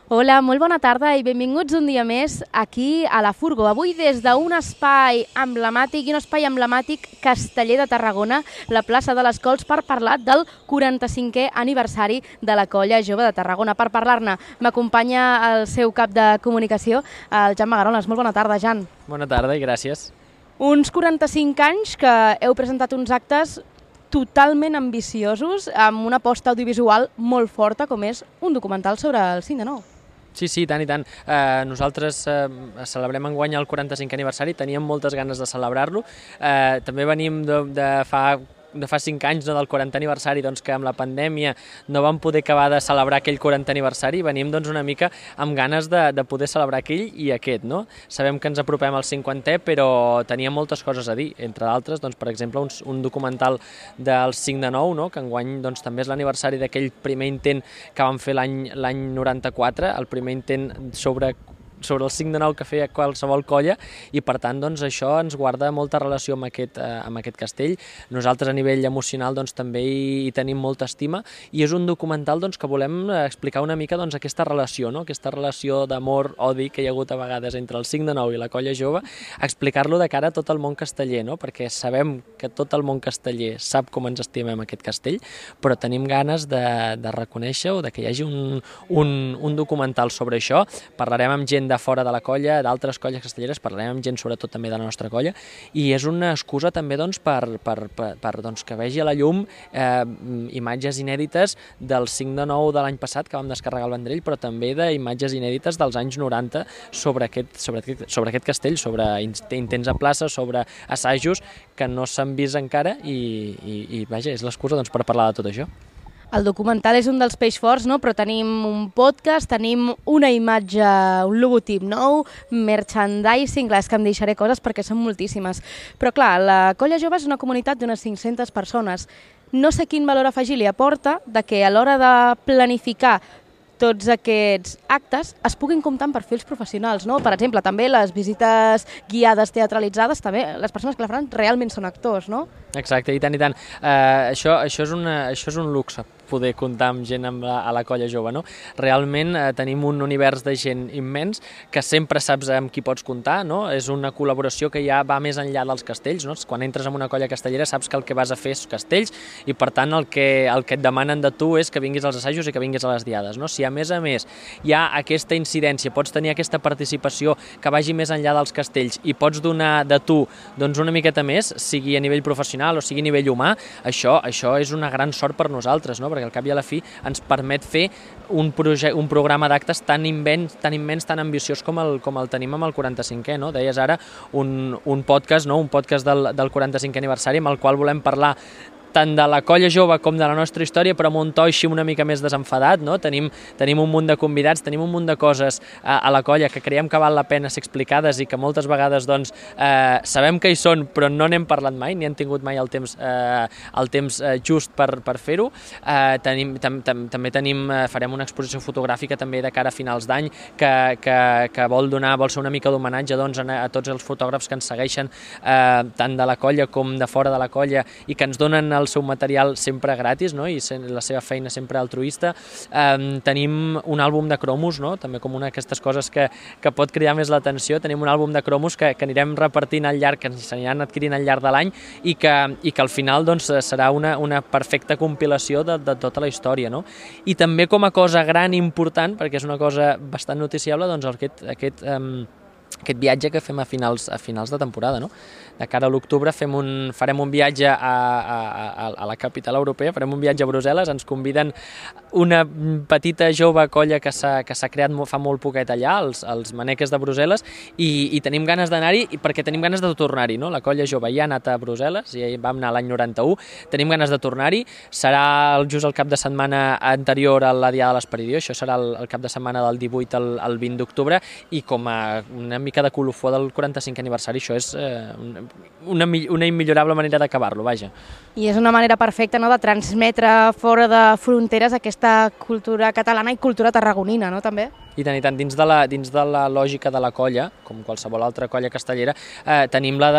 Hola, molt bona tarda i benvinguts un dia més aquí a la Furgo. Avui des d'un espai emblemàtic i un espai emblemàtic casteller de Tarragona, la plaça de les Cols, per parlar del 45è aniversari de la Colla Jove de Tarragona. Per parlar-ne m'acompanya el seu cap de comunicació, el Jan Magarones. Molt bona tarda, Jan. Bona tarda i gràcies. Uns 45 anys que heu presentat uns actes totalment ambiciosos, amb una aposta audiovisual molt forta, com és un documental sobre el 5 de 9. Sí, tant i tant. Nosaltres celebrem enguany el 45è aniversari, teníem moltes ganes de celebrar-lo. També venim de fa 5 anys, del 40è aniversari, que amb la pandèmia no vam poder acabar de celebrar aquell 40è aniversari i venim una mica amb ganes de poder celebrar aquell i aquest. No? Sabem que ens apropem al 50è, però teníem moltes coses a dir, entre d'altres, per exemple, un documental del 5 de 9, no? Que enguany també és l'aniversari d'aquell primer intent que vam fer l'any 94, el primer intent sobre el 5 de 9 que feia qualsevol colla, i per tant això ens guarda molta relació amb aquest castell. Nosaltres a nivell emocional també hi tenim molta estima, i és un documental que volem explicar una mica aquesta relació, no? Aquesta relació d'amor-odi que hi ha hagut a vegades entre el 5 de 9 i la Colla Jove, explicar-lo de cara a tot el món casteller, no? Perquè sabem que tot el món casteller sap com ens estimem aquest castell, però tenim ganes de reconèixer o que hi hagi un documental sobre això. Parlarem amb gent de fora de la colla, d'altres colles castelleres, parlarem amb gent sobretot també de la nostra colla, i és una excusa també per que vegi a la llum imatges inèdites del 5 de 9 de l'any passat que vam descarregar el Vendrell, però també d'imatges inèdites dels anys 90 sobre aquest castell, sobre intents a plaça, sobre assajos que no s'han vist encara, i vaja, és l'excusa per parlar de tot això. El documental és un dels peix forts, no? Però tenim un podcast, tenim una imatge, un logotip nou, merchandising, clar, és que em deixaré coses perquè són moltíssimes. Però clar, la Colla Jove és una comunitat d'unes 500 persones. No sé quin valor afegir li aporta de que a l'hora de planificar tots aquests actes es puguin comptar amb perfils professionals, no? Per exemple, també les visites guiades teatralitzades, també les persones que la faran realment són actors, no? Exacte, i tant, i tant. Això és un luxe, poder comptar amb gent a la Colla Jove, no? Realment tenim un univers de gent immens que sempre saps amb qui pots comptar, no? És una col·laboració que ja va més enllà dels castells, no? Quan entres en una colla castellera saps que el que vas a fer és castells, i per tant el que et demanen de tu és que vinguis als assajos i que vinguis a les diades, no? Si a més hi ha aquesta incidència, pots tenir aquesta participació que vagi més enllà dels castells i pots donar de tu una miqueta més, sigui a nivell professional o sigui a nivell humà, això és una gran sort per nosaltres, no? Perquè al cap i a la fi ens permet fer un programa d'actes tan immens, tan ambiciós com el tenim amb el 45è, no? Deies ara un podcast, no? Un podcast del 45è aniversari amb el qual volem parlar tant de la Colla Jove com de la nostra història, però amb un to així una mica més desenfadat, no? Tenim un munt de convidats, tenim un munt de coses a la colla que creiem que val la pena ser explicades i que moltes vegades sabem que hi són, però no n'hem parlat mai, ni hem tingut mai el temps just per fer-ho. També farem una exposició fotogràfica també de cara a finals d'any que vol ser una mica d'homenatge a tots els fotògrafs que ens segueixen tant de la colla com de fora de la colla i que ens donen el seu material sempre gratis, no? I la seva feina sempre altruista. Tenim un àlbum de cromos, no? També com una d'aquestes coses que pot cridar més l'atenció. Tenim un àlbum de cromos que anirem repartint al llarg, que s'aniran adquirint al llarg de l'any, i que al final serà una perfecta compilació de tota la història, no? I també com a cosa gran i important, perquè és una cosa bastant noticiable, aquest viatge que fem a finals de temporada, no? De cara a l'octubre farem un viatge a la capital europea, farem un viatge a Brussel·les, ens conviden una petita jove colla que s'ha creat fa molt poquet allà, els Maneques de Brussel·les, i tenim ganes d'anar-hi perquè tenim ganes de tornar-hi, no? La Colla Jove ja ha anat a Brussel·les, i vam anar l'any 91, tenim ganes de tornar-hi, serà just el cap de setmana anterior a la Diada de l'Esperidió, això serà el cap de setmana del 18 al 20 d'octubre, i com a una una mica de colofó del 45è aniversari, això és una immillorable manera d'acabar-lo, vaja. I és una manera perfecta, no?, de transmetre fora de fronteres aquesta cultura catalana i cultura tarragonina, no?, també? I tant, dins de la lògica de la colla, com qualsevol altra colla castellera, tenim la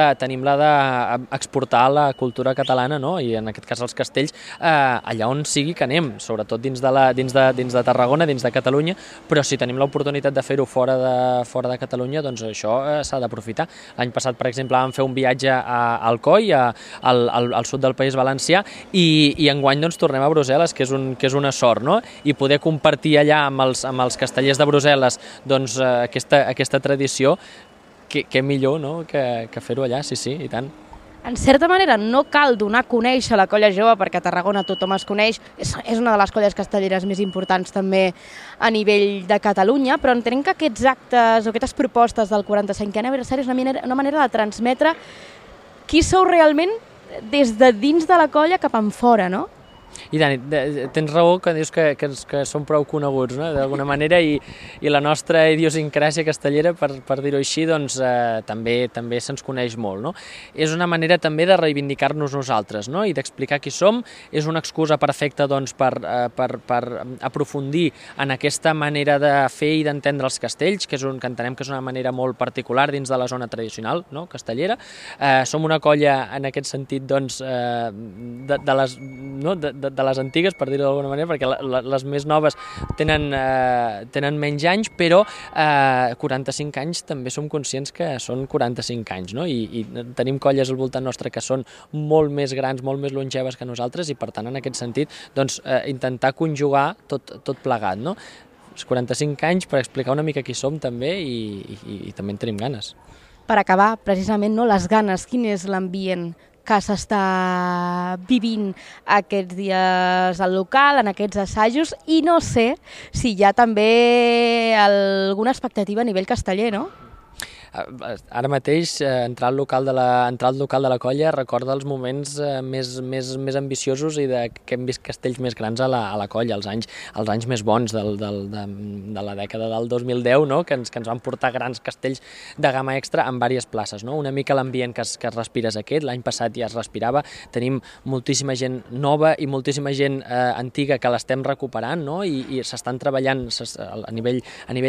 d'exportar la cultura catalana, no? I en aquest cas els castells, allà on sigui que anem, sobretot dins de Tarragona, dins de Catalunya, però si tenim l'oportunitat de fer-ho fora de Catalunya, doncs això s'ha d'aprofitar. L'any passat, per exemple, vam fer un viatge a Alcoi, al sud del País Valencià, i enguany doncs, tornem a Brussel·les, que és una sort, no? I poder compartir allà amb els castellers de Brussel·les doncs, aquesta tradició, què millor, no?, que fer-ho allà, sí, i tant. En certa manera, no cal donar a conèixer la colla jove, perquè a Tarragona tothom es coneix, és una de les colles castelleres més importants també a nivell de Catalunya, però entenem que aquests actes o aquestes propostes del 45è aniversari és una manera de transmetre qui sou realment des de dins de la colla cap en fora, no? I tant, tens raó que dius que som prou coneguts, no?, d'alguna manera, i la nostra idiosincràsia castellera, per dir-ho així, doncs també se'ns coneix molt, no? És una manera també de reivindicar-nos nosaltres, no?, i d'explicar qui som. És una excusa perfecta doncs, per aprofundir en aquesta manera de fer i d'entendre els castells, que entenem que és una manera molt particular dins de la zona tradicional, no?, castellera. Som una colla, en aquest sentit, doncs, de les antigues, per dir-ho d'alguna manera, perquè les més noves tenen menys anys, però 45 anys també som conscients que són 45 anys, no? I tenim colles al voltant nostre que són molt més grans, molt més longeves que nosaltres, i per tant, en aquest sentit, doncs, intentar conjugar tot plegat, no? Els 45 anys per explicar una mica qui som també, i també en tenim ganes. Per acabar, precisament, no, les ganes, quin és l'ambient que s'està vivint aquests dies al local, en aquests assajos, i no sé si hi ha també alguna expectativa a nivell casteller, no? Ara mateix, entrar al local de la colla recorda els moments més ambiciosos i que hem vist castells més grans a la colla, els anys més bons de la dècada del 2010, no?, que ens van portar grans castells de gamma extra en diverses places, no? Una mica l'ambient que es respira és aquest. L'any passat ja es respirava, tenim moltíssima gent nova i moltíssima gent antiga que l'estem recuperant, no?, i s'estan treballant a nivell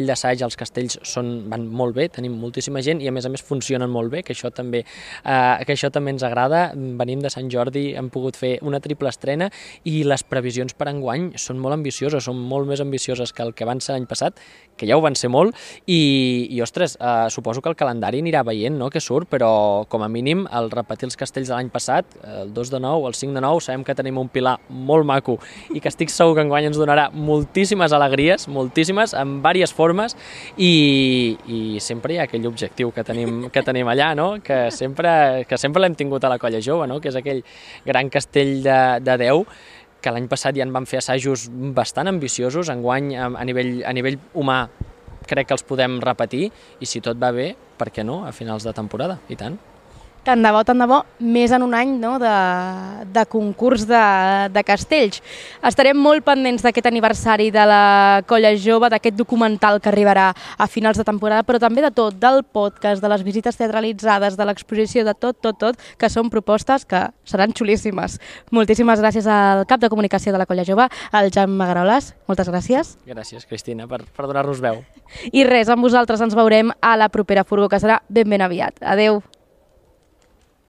d'assaig. Els castells van molt bé, tenim moltíssima gent, i a més funcionen molt bé, que això també ens agrada. Venim de Sant Jordi, hem pogut fer una triple estrena, i les previsions per enguany són molt ambicioses, són molt més ambicioses que el que van ser l'any passat, que ja ho van ser molt, i ostres, suposo que el calendari anirà veient, no?, que surt, però com a mínim el repetir els castells de l'any passat, el 2 de 9, el 5 de 9, sabem que tenim un pilar molt maco i que estic segur que enguany ens donarà moltíssimes alegries, moltíssimes, en diverses formes, i sempre hi ha aquell objectiu que tenim allà, no?, que sempre l'hem tingut a la colla jove, no?, que és aquell gran castell de 10, que l'any passat ja en vam fer assajos bastant ambiciosos. Enguany, a nivell humà, crec que els podem repetir, i si tot va bé, per què no, a finals de temporada, i tant. Tant de bo, més en un any, no?, de concurs de castells. Estarem molt pendents d'aquest aniversari de la colla jove, d'aquest documental que arribarà a finals de temporada, però també de tot, del podcast, de les visites teatralitzades, de l'exposició, de tot, que són propostes que seran xulíssimes. Moltíssimes gràcies al cap de comunicació de la colla jove, el Jan Magaroles. Moltes gràcies. Gràcies, Cristina, per donar-nos veu. I res, amb vosaltres ens veurem a la propera furgó, que serà ben aviat. Adeu.